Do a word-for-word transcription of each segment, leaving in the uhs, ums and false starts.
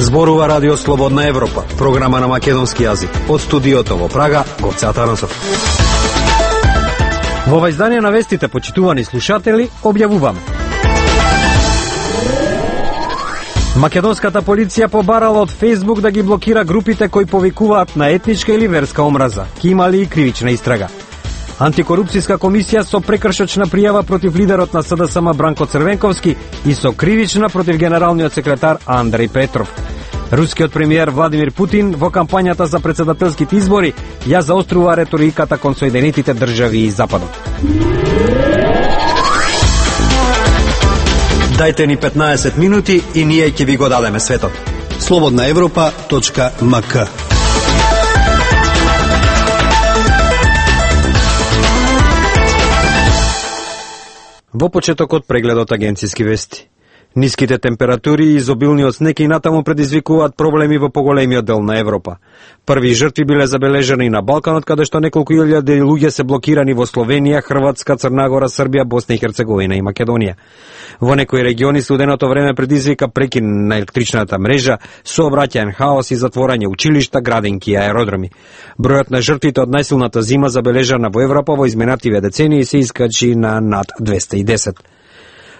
Зборува Радио Слободна Европа, програма на македонски јазик. Од студиото во Прага, Гоце Атанасов. Во ова издание на вестите, почитувани слушатели, објавуваме. Македонската полиција побарала од Facebook да ги блокира групите кои повикуваат на етничка или верска омраза. Ки имали и кривична истрага. Антикорупцијска комисија со прекршочна пријава против лидерот на СДСМ Бранко Црвенковски и со кривична против генералниот секретар Андреј Петров. Рускиот премиер Владимир Путин во кампањата за претседателските избори ја заострува реториката кон Соединетите држави и Западот. Дајте ни петнаесет минути и ние ќе ви го дадеме светот. слободна европа точка ем ка. Во почетокот прегледот агенциски вести. Ниските температури и изобилниот снег и натаму предизвикуваат проблеми во поголемиот дел на Европа. Први жртви биле забележани на Балканот, каде што неколку илјади луѓе се блокирани во Словенија, Хрватска, Црнагора, Србија, Босна и Херцеговина и Македонија. Во некои региони студеното време предизвика прекин на електричната мрежа, сообраќаен хаос и затворање училишта, градинки и аеродроми. Бројот на жртвите од најсилната зима забележана во Европа во изминативе децении се искачи на над двесте и десет.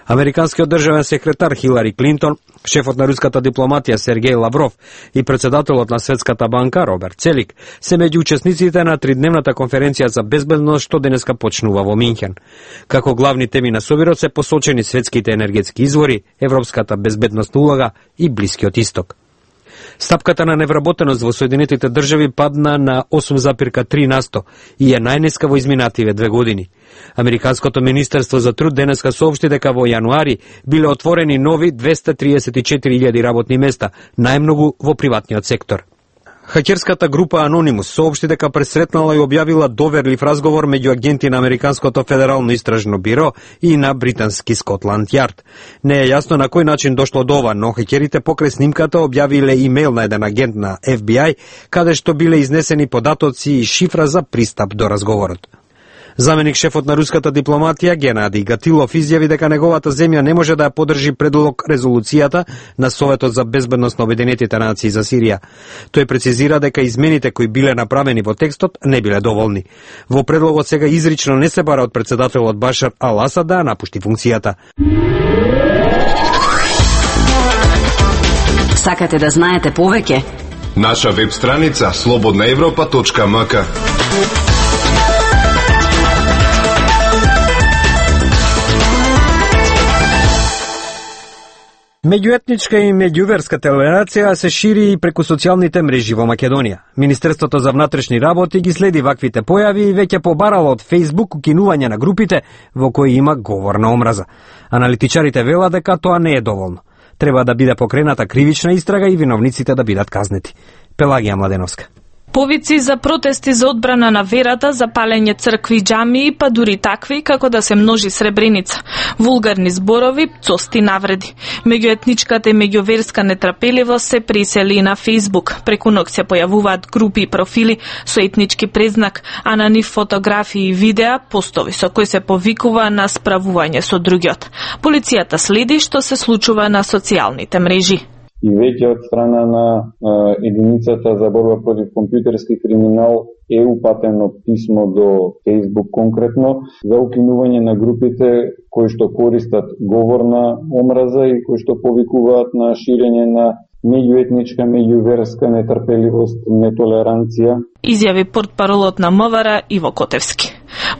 Американскиот државен секретар Хилари Клинтон, шефот на руската дипломатија Сергеј Лавров и председателот на Светската банка Роберт Целик се меѓу учесниците на тридневната конференција за безбедност што денеска почнува во Минхен. Како главни теми на собирот се посочени светските енергетски извори, европската безбедностна улога и Блискиот исток. Стапката на невработеност во Соединетите држави падна на осум запирка три на сто и е најниска во изминативе две години. Американското министерство за труд денеска соопшти дека во јануари биле отворени нови двесте триесет и четири илјади работни места, најмногу во приватниот сектор. Хакерската група Anonymous соопшти дека пресретнала и објавила доверлив разговор меѓу агенти на Американското федерално истражно биро и на британски Скотланд Јард. Не е јасно на кој начин дошло до ова, но хакерите покрај снимката објавиле имейл на еден агент на Еф Би Ај, каде што биле изнесени податоци и шифра за пристап до разговорот. Заменик шефот на руската дипломатија Генадиј Гатилов изјави дека неговата земја не може да ја поддржи предлог резолуцијата на Советот за безбедност на Обединетите нации за Сирија. Тој прецизира дека измените кои биле направени во текстот не биле доволни. Во предлогот сега изрично не се бара од претседателот Башар ал Асад да напушти функцијата. Сакате да знаете повеќе? Наша веб страница слободна европа точка ем ка. Меѓуетничка и меѓуверска толерација се шири и преку социјалните мрежи во Македонија. Министерството за внатрешни работи ги следи ваквите појави и веќе побарало од Facebook укинување на групите во кои има говор на омраза. Аналитичарите велат дека тоа не е доволно. Треба да биде покрената кривична истрага и виновниците да бидат казнети. Пелагија Младеновска. Повици за протести за одбрана на верата, за палење цркви и џамии, па дури такви како да се множи Сребреница. Вулгарни зборови, цости навреди. Меѓуетничката и меѓуверска нетрпеливост се присели на Facebook. Преку ноќ се појавуваат групи и профили со етнички презнак, а на нив фотографии и видеа, постови со кои се повикува на справување со другиот. Полицијата следи што се случува на социјалните мрежи. И веќе од страна на а, единицата за борба против компјутерски криминал е упатено писмо до Facebook конкретно за укинување на групите кои што користат говор на омраза и кои што повикуваат на ширење на меѓуетничка, меѓуверска нетрпеливост, нетолеранција. Изјави портпаролот на МВР Иво Котевски.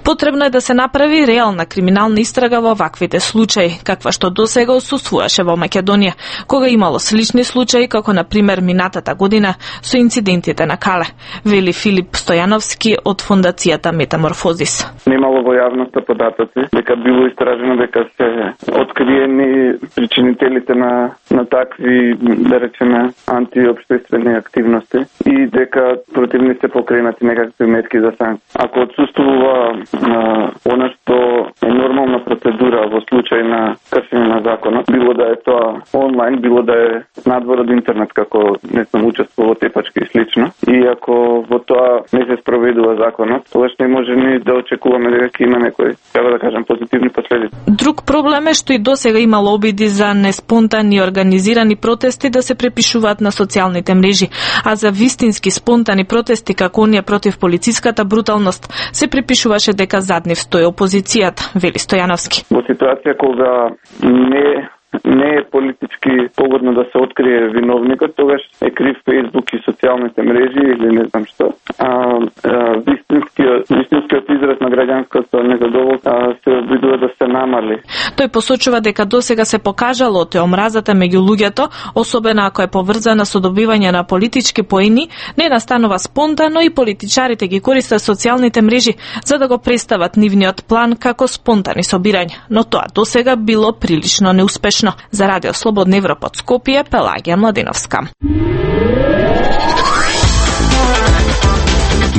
Потребно е да се направи реална криминална истрага во ваквите случаи, каква што досега отсуствуваше во Македонија, кога имало слични случаи, како на пример минатата година со инцидентите на Кале, вели Филип Стојановски од фондацијата Метаморфозис. Немало во јавноста податоци дека било истражено дека се откриени причинителите на на такви, да речеме, антиопштествени активности и дека против нив се покренати некакви мерки за санкции. Ако отсуствува она што е нормална процедура во случај на кршење на законот, било да е тоа онлайн, било да е надвор од интернет, како не сум учествувал во тепачки и слично. И ако во тоа не се спроведува законот, тогаш не може ни да очекуваме дека ќе има некои, треба да кажам, позитивни последици. Друг проблем е што и досега имало обиди за неспонтани организирани протести да се препишуваат на социјалните мрежи, а за вистински спонтани протести како оние против полициската бруталност се припишуваше дека зад нив стои опозицијата, вели Стојановски. Во ситуација кога не не е политички погодно да се открие виновникот, тогаш е крив Facebook и социјалните мрежи или не знам што. А, а вистинскиот, вистинскиот израз на граѓанското незадоволство се обидува да се намали. Тој посочува дека досега се покажало те омразата меѓу луѓето, особено ако е поврзана со добивање на политички поени, не настанува спонтано и политичарите ги користат социјалните мрежи за да го представат нивниот план како спонтани собирања, но тоа досега било прилично неуспешно. За Радио Слободна Европа од Скопје, Пелагија Младиновска.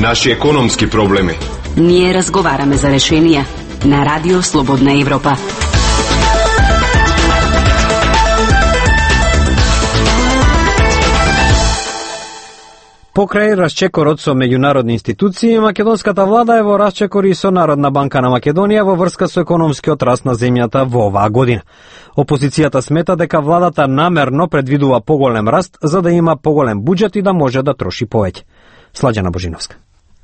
Наши економски проблеми. Ние разговараме за решенија на Радио Слободна Европа. Покрај расчекорот со меѓународни институции, македонската влада е во расчекори со Народна банка на Македонија во врска со економскиот раст на земјата во оваа година. Опозицијата смета дека владата намерно предвидува поголем раст за да има поголем буџет и да може да троши повеќе. Сладжана Божиновска.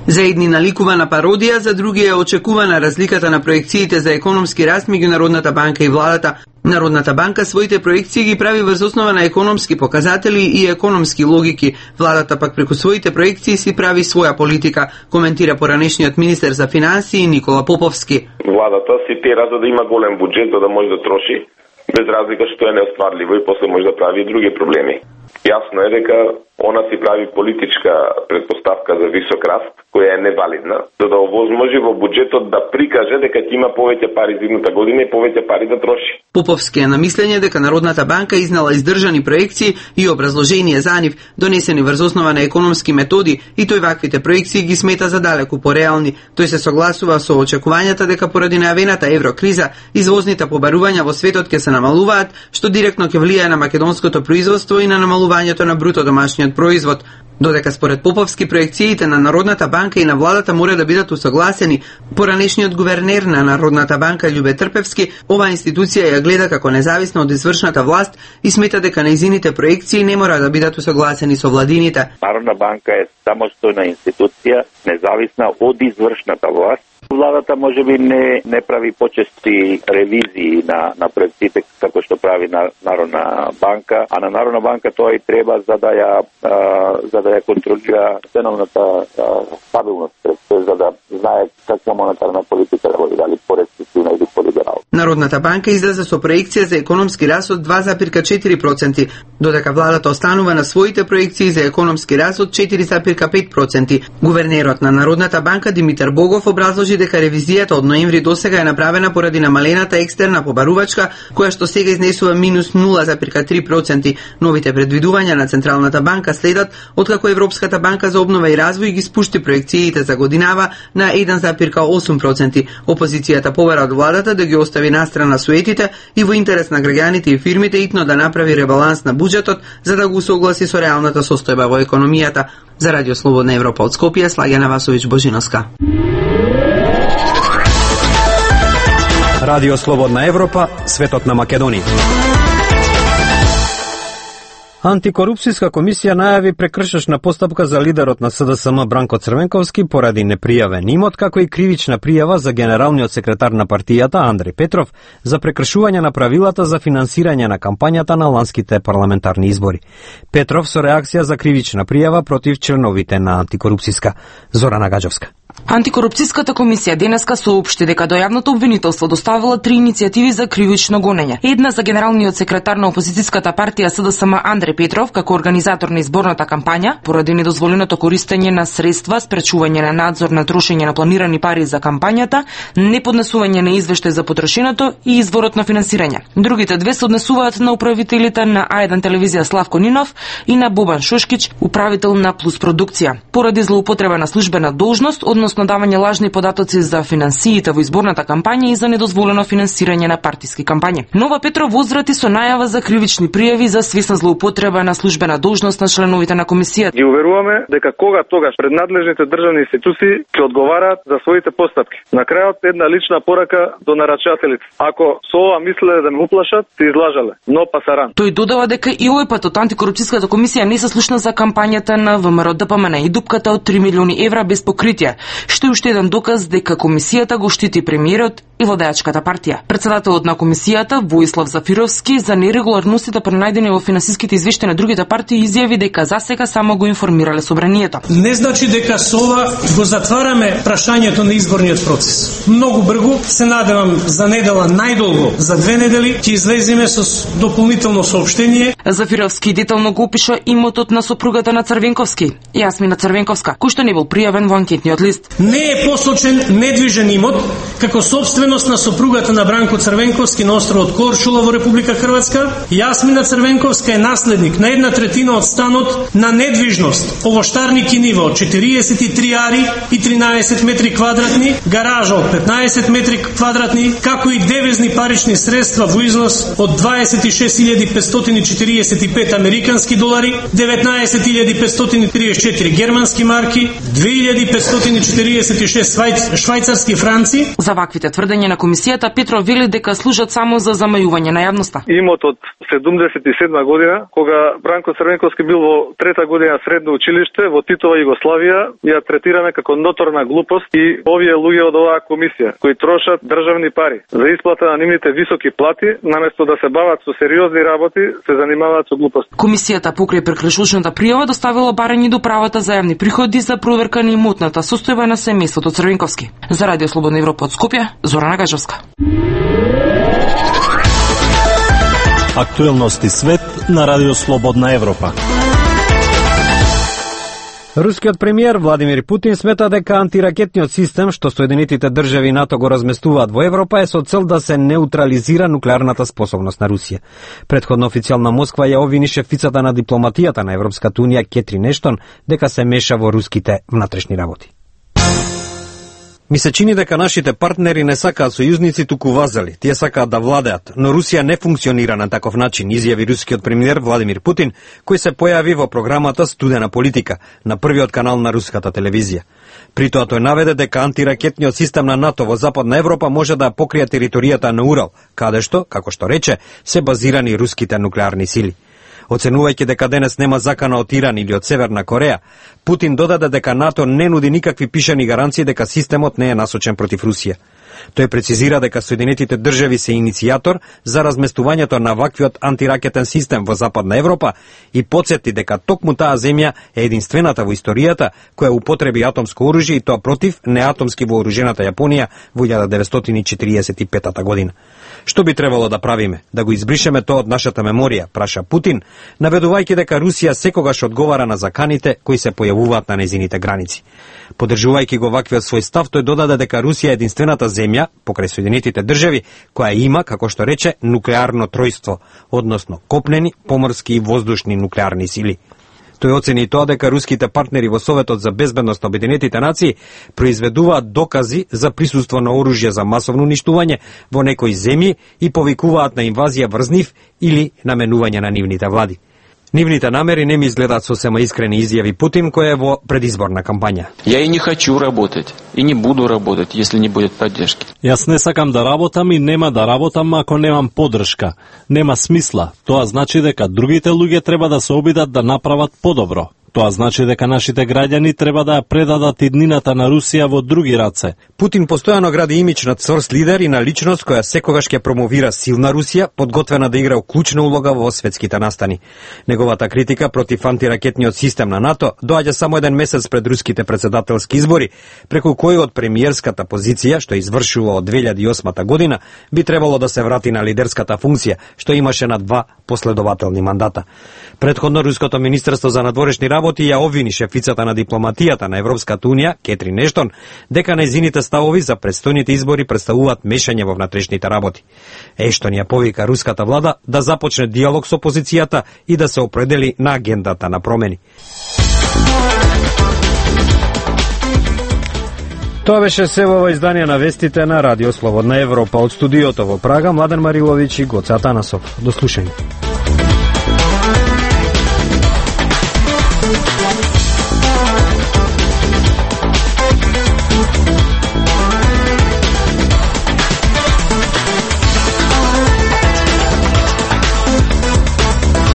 За едни наликувана пародија, за други е очекувана разликата на проекциите за економски раст меѓу Народната банка и владата. Народната банка своите проекции ги прави врз основа на економски показатели и економски логики. Владата пак преку своите проекции си прави своја политика, коментира поранешниот министер за финансии Никола Поповски. Владата си тера за да има голем буџет за да може да троши, без разлика што е неостварливо и после може да прави и други проблеми. Јасно е дека она си прави политичка предпоставка за висок раст, која е невалидна, за да овозможи во буџетот да прикаже дека ќе има повеќе пари за идната година и повеќе пари да троши. Поповски е на мислење дека Народната банка изнала издржани проекции и образложение за нив, донесени врз основа на економски методи, и тој ваквите проекции ги смета за далеку пореални. Тој се согласува со очекувањата дека поради најавената еврокриза извозните побарувања во светот ќе се намалуваат, што директно ќе влијае на македонското производство и на намалувањето на бруто домашниот производ. Додека според Поповски проекциите на Народната банка и на владата мора да бидат усогласени, поранешниот гувернер на Народната банка Љубе Трпевски оваа институција ја гледа како независна од извршната власт и смета дека нејзините проекции не мора да бидат усогласени со владините. Народна банка е самостојна институција, независна од извршната власт. Владата можеби не не прави почести ревизии на на проектите како што прави на Народна банка, а на Народна банка тоа и треба за да ја а, за да ја контролира ценовната стабилност, за да знае каква монетарна политика да води, дали порестриктивна или полиберална. Народната банка излезе со проекција за економски раст од два запирка четири проценти, додека владата останува на своите проекции за економски раст од четири запирка пет проценти. Гувернерот на Народната банка Димитар Богов образложи дека ревизијата од ноември досега е направена поради намалената екстерна побарувачка, која што сега изнесува минус нула запирка три проценти. Новите предвидувања на Централната банка следат откако Европската банка за обнова и развој ги спушти проекциите за годинава на еден запирка осум проценти. Опозицијата побара од владата да ги остави настрана суетите и во интерес на граѓаните и фирмите итно да направи ребаланс на буџетот за да го согласи со реалната состојба во економијата. За Радио Слободна Европа од Скопје, Слагјана Васовиќ Божиновска. Радио Слободна Европа, светот на Македонија. Антикорупцијска комисија најави прекршечна постапка за лидерот на С Д С М Бранко Црвенковски поради непријавен имот, како и кривична пријава за генералниот секретар на партијата Андреј Петров за прекршување на правилата за финансирање на кампањата на ланските парламентарни избори. Петров со реакција за кривична пријава против членовите на Антикорупцијска. Зорана Гаджовска. Антикорупцијската комисија денеска соопшти дека до јавното обвинителство доставила три иницијативи за кривично гонење. Една за генералниот секретар на опозицијската партија С Д С М Андреј Петров како организатор на изборната кампања поради недозволеното користење на средства, спречување на надзор на трошење на планирани пари за кампањата, неподнесување на извештај за потрошеното и изворот на финансирање. Другите две се однесуваат на управителите на А еден телевизија Славко Нинов и на Бобан Шушкич, управител на Плюс продукција, поради злоупотреба на службена должност, односно давање лажни податоци за финансиите во изборната кампања и за недозволено финансирање на партиски кампањи. Нова Петров возврати со најава за кривични пријави за свесна злоупотреба на службена должност на членовите на комисијата. Ги уверуваме дека кога тогаш пред надлежните државни институции ќе одговараат за своите постапки. На крајот една лична порака до нарачателите. Ако со ова мислеле да ме уплашат, се излажале, но пасаран. Тој додава дека и овој пат од антикорупцијската комисија не се слушна за кампањата на ВМРО Д П М Н и дупката од три милиони евра без покритие, што е уште еден доказ дека комисијата го штити премиерот и владеачката партија. Председателот на комисијата Воислав Зафировски за нерегуларностите пронајдени во финансиските извештаи на другите партии изјави дека засега само го информирале собранието. Не значи дека со ова го затвараме прашањето на изборниот процес. Многу брзо, се надевам за недела најдолго за две недели ќе излеземе со дополнително соопштение. Зафировски детално го опиша имотот на сопругата на Црвенковски, Јасмина Црвенковска, кој што не бил пријавен во анкетниот лист. Не е посочен недвижен имот како собственост на сопругата на Бранко Црвенковски на островот Корчула во Република Хрватска. Јасмина Црвенковска е наследник на една третина од станот на недвижност, овоштарник и ниво четириесет и три ари и тринаесет метри квадратни, гаража од петнаесет метри квадратни, како и девизни парични средства во износ од дваесет и шест илјади петстотини и четириесет и пет американски долари, деветнаесет илјади петстотини и триесет и четири германски марки, две илјади петстотини и четириесет и шест швајцарски франци. За ваквите тврдења на комисијата Петров вели дека служат само за замајување на јавноста. Имот од седумдесет и седма година, кога Бранко Црвенковски бил во трета година средно училиште во Титова Југославија, ја третираме како ноторна глупост и овие луѓе од оваа комисија кои трошат државни пари за исплата на нивните високи плати, наместо да се бават со сериозни работи, се занимаваат со глупост. Комисијата покрај прекршушната пријава доставила барање до правата за јавни приходи за проверка на имотната состојба на семејството Црвенковски. За Радио Слободна Европа од Скопје, Зорана Гажевска. Актуелности свет на Радио Слободна Европа. Рускиот премиер Владимир Путин смета дека антиракетниот систем што Соединетите држави и НАТО го разместуваат во Европа е со цел да се неутрализира нуклеарната способност на Русија. Предходно официјална Москва ја обвини шефицата на дипломатијата на Европската унија Кетрин Ештон дека се меша во руските внатрешни работи. Ми се чини дека нашите партнери не сакаат сојузници, туку вазали. Тие сакаат да владеат, но Русија не функционира на таков начин, изјави рускиот премиер Владимир Путин, кој се појави во програмата Студена политика на првиот канал на руската телевизија. При тоа тој наведе дека антиракетниот систем на НАТО во Западна Европа може да покрие територијата на Урал, каде што, како што рече, се базирани руските нуклеарни сили. Оценувајќи дека денес нема закана од Иран или од Северна Кореја, Путин додаде дека НАТО не нуди никакви пишани гаранции дека системот не е насочен против Русија. Тој прецизира дека Соединетите држави се иницијатор за разместувањето на ваквиот антиракетен систем во Западна Европа и потсети дека токму таа земја е единствената во историјата која употреби атомско оружје и тоа против неатомски вооружената Јапонија во илјада деветстотини и четириесет и петата година. Што би требало да правиме? Да го избришеме тоа од нашата меморија, праша Путин, наведувајќи дека Русија секогаш одговара на заканите кои се појавуваат на незините граници. Поддржувајќи го ваквиот свој став, тој додаде дека Русија е единствената земја, покрај Соединетите држави, која има, како што рече, нуклеарно тројство, односно копнени, поморски и воздушни нуклеарни сили. Тој оцени и тоа дека руските партнери во Советот за безбедност на Обединетите нации произведуваат докази за присуство на оружје за масовно уништување во некои земји и повикуваат на инвазија врз нив или наменување на нивните влади. Нивните намери не ми изгледаат сосема искрени, изјави Путин, кој е во предизборна кампања. Ја и не хочу работать, и не буду работать, если не будет поддршки. Јас не сакам да работам и нема да работам ако немам поддршка. Нема смисла. Тоа значи дека другите луѓе треба да се обидат да направат подобро. Тоа значи дека нашите граѓани треба да ја предадат иднината на Русија во други раце. Путин постојано гради имидж на цврст лидер и на личност која секогаш ќе промовира силна Русија, подготвена да игра клучна улога во светските настани. Неговата критика против антиракетниот систем на НАТО доаѓа само еден месец пред руските председателски избори, преку кој од премиерската позиција, што извршува од две илјади и осма година, би требало да се врати на лидерската функција, што имаше на два последователни мандата. Предходно руското министерство за надворешни работи ја обвини шефицата на дипломатијата на Европската унија, Кетрин Ештон, дека нејзините ставови за предстојните избори представуваат мешање во внатрешните работи. Ештон ја повика руската влада да започне диалог со опозицијата и да се определи на агендата на промени. Тоа беше се во ова издание на вестите на Радио Слободна Европа. Од студиото во Прага, Младен Мариловиќ и Гоце Атанасов. До слушање.